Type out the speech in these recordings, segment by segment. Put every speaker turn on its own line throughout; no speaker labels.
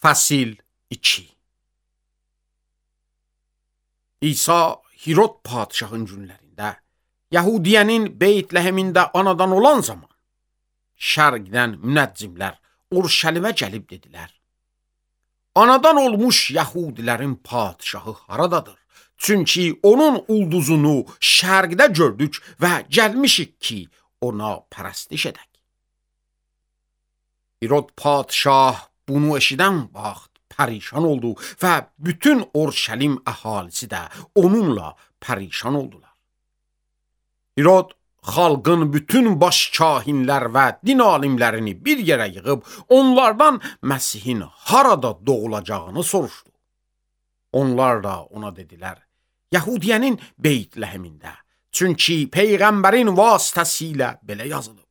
Fəsil 2. İsa Hirod padişahın günlərində Yəhudiyənin Beytləhemində anadan olan zaman şərqdən münəccimlər Urşəlimə gəlib dedilər: Anadan olmuş Yəhudilərin padişahı haradadır? Çünki onun ulduzunu şərqdə gördük və gəlmişik ki, ona pərəstiş edək. Hirod padişah bunu eşidən vaxt pərişan oldu və bütün Urşəlim əhalisi də onunla pərişan oldular. Hirod xalqın bütün baş kahinlər və din alimlərini bir yerə yığıb onlardan Məsihin harada doğulacağını soruşdu. Onlar da ona dedilər: Yəhudiyənin Beytləhemində, çünki Peyğəmbərin vasitəsilə belə yazılıb.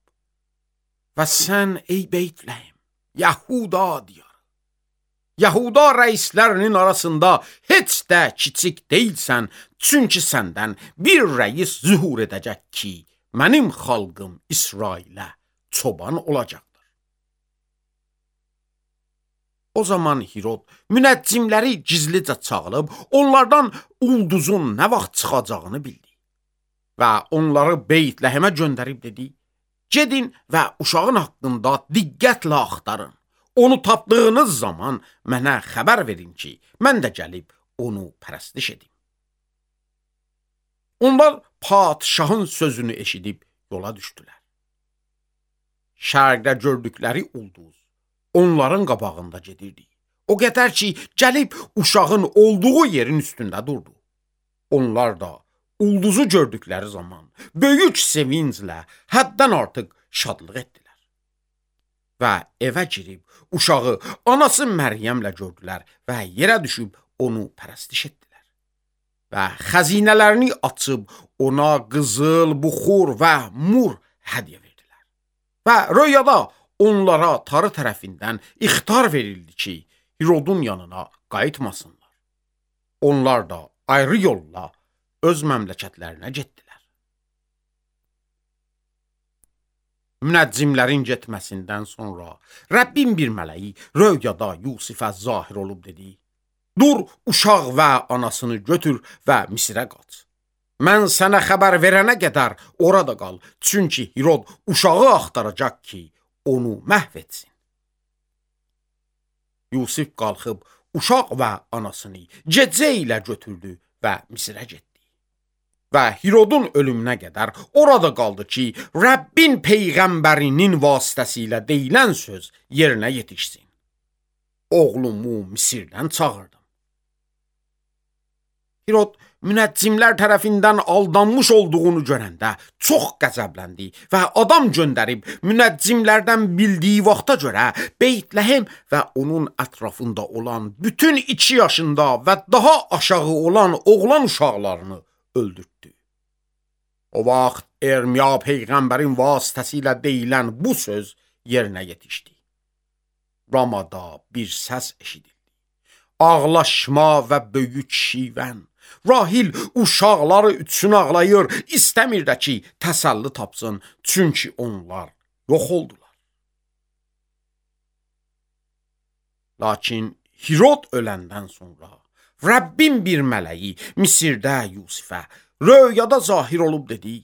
Və sən ey Beytləhem, Yəhuda diyarı, Yəhuda rəislərinin arasında heç də kiçik deyilsən, çünki səndən bir rəis zühur edəcək ki, mənim xalqım İsrailə çoban olacaqdır. O zaman Hirod münəccimləri gizlicə çağırıb, onlardan ulduzun nə vaxt çıxacağını bildi və onları Beytləhemə göndərib dedi: Gedin və uşağın haqqında diqqətlə axtarın. Onu tapdığınız zaman mənə xəbər verin ki, mən də gəlib onu pərəstiş edim. Onlar padişahın sözünü eşidib yola düşdülər. Şərqdə gördükləri ulduz onların qabağında gedirdi. O qədər ki, gəlib uşağın olduğu yerin üstündə durdu. Onlar da ulduzu gördükləri zaman böyük sevinclə həddən artıq şadlıq etdilər. Və evə girib uşağı anası Məryəmlə gördülər və yerə düşüb onu pərəstiş etdilər. Və xəzinələrini açıb ona qızıl, buxur və mur hədiyyə verdilər. Və röyada onlara tarı tərəfindən ixtar verildi ki, Hirodun yanına qayıtmasınlar. Onlar da ayrı yolla öz məmləkətlərinə getdilər. Münəccimlərin getməsindən sonra Rəbbin bir mələyi röyada Yusifə zahir olub dedi: Dur, uşaq və anasını götür və Misirə qaç. Mən sənə xəbər verənə qədər orada qal, çünki Hirod uşağı axtaracaq ki, onu məhv etsin. Yusif qalxıb uşaq və anasını gecə ilə götürdü və Misirə getdi. Və Hirodun ölümünə qədər orada qaldı ki, Rəbbin Peyğəmbərinin vasitəsilə deyilən söz yerinə yetişsin. Oğlumu Misirdən çağırdım. Hirod münəccimlər tərəfindən aldanmış olduğunu görəndə çox qəzəbləndi və adam göndərib münəccimlərdən bildiyi vaxta görə Beytləhem və onun ətrafında olan bütün 2 yaşında və daha aşağı olan oğlan uşaqlarını öldürtdü. O vaxt Ermiya Peyğəmbərin vasitəsilə deyilən bu söz yerinə yetişdi. Ramada bir səs eşidildi. Ağlaşma və böyük şivən. Rahil uşaqları üçün ağlayır, istəmir də ki, təsəlli tapsın, çünki onlar yox oldular. Lakin Hirod öləndən sonra Rəbbin bir mələyi Misirdə Yusifə röyada zahir olub dedi: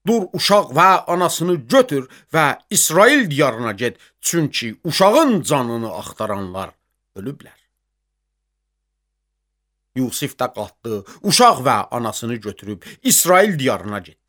Dur, uşaq və anasını götür və İsrail diyarına get, çünki uşağın canını axtaranlar ölüblər. Yusif də qalxdı, uşaq və anasını götürüb İsrail diyarına getdi.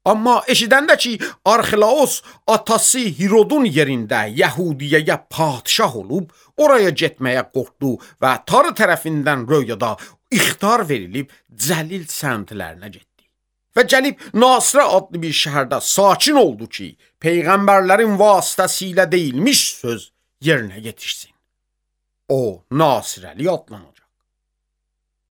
Amma eşidəndə ki, Arxelaos atası Hirodun yerində Yəhudiyəyə padişah olub, oraya getməyə qorxdu və tarı tərəfindən röyada ixtar verilib Cəlil səmtlərinə getdi. Və gəlib Nasirə adlı bir şəhərdə sakin oldu ki, Peyğəmbərlərin vasitəsilə deyilmiş söz yerinə yetişsin. O, Nasirəli adlanacaq.